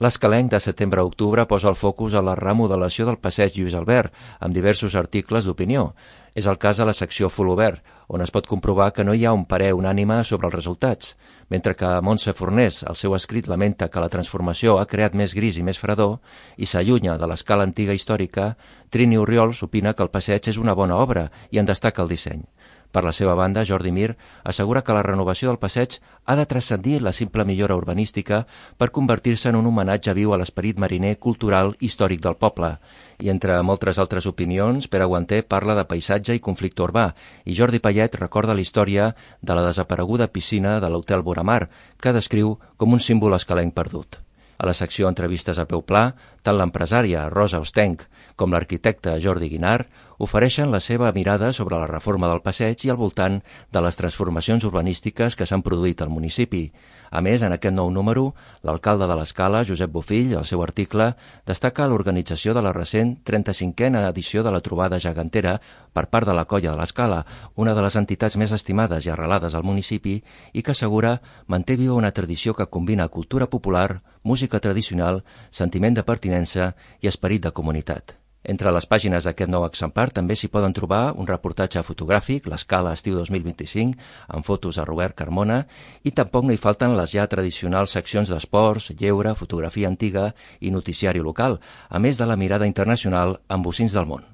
L'Escalenc de setembre a octubre posa el focus a la remodelació del passeig Lluís Albert, amb diversos articles d'opinió. És el cas a la secció Folobert, on es pot comprovar que no hi ha un parer unànime sobre els resultats. Mentre que Montse Fornés, al seu escrit, lamenta que la transformació ha creat més gris i més fredor i s'allunya de l'escala antiga històrica, Trini Orriols opina que el passeig és una bona obra i en destaca el disseny. Per la seva banda, Jordi Mir assegura que la renovació del passeig ha de transcendir la simple millora urbanística per convertir-se en un homenatge viu a l'esperit mariner, cultural i històric del poble. I entre moltes altres opinions, Pere Guanter parla de paisatge i conflicte urbà i Jordi Payet recorda la història de la desapareguda piscina de l'Hotel Boramar, que descriu com un símbol escalenc perdut. A la secció Entrevistes a peu pla, tant l'empresària Rosa Ostenc com l'arquitecte Jordi Guinart ofereixen la seva mirada sobre la reforma del passeig i al voltant de les transformacions urbanístiques que s'han produït al municipi. A més, en aquest nou número, l'alcalde de l'Escala, Josep Bofill, al seu article, destaca l'organització de la recent 35a edició de la Trobada Gegantera per part de la Colla de l'Escala, una de les entitats més estimades i arrelades al municipi i que assegura manté viva una tradició que combina cultura popular, música tradicional, sentiment de pertinença i esperit de comunitat. Entre les pàgines d'aquest nou exemplar també s'hi poden trobar un reportatge fotogràfic, l'Escala estiu 2025, amb fotos a Robert Carmona, i tampoc no hi falten les ja tradicionals seccions d'esports, lleure, fotografia antiga i noticiari local, a més de la mirada internacional amb bocins del món.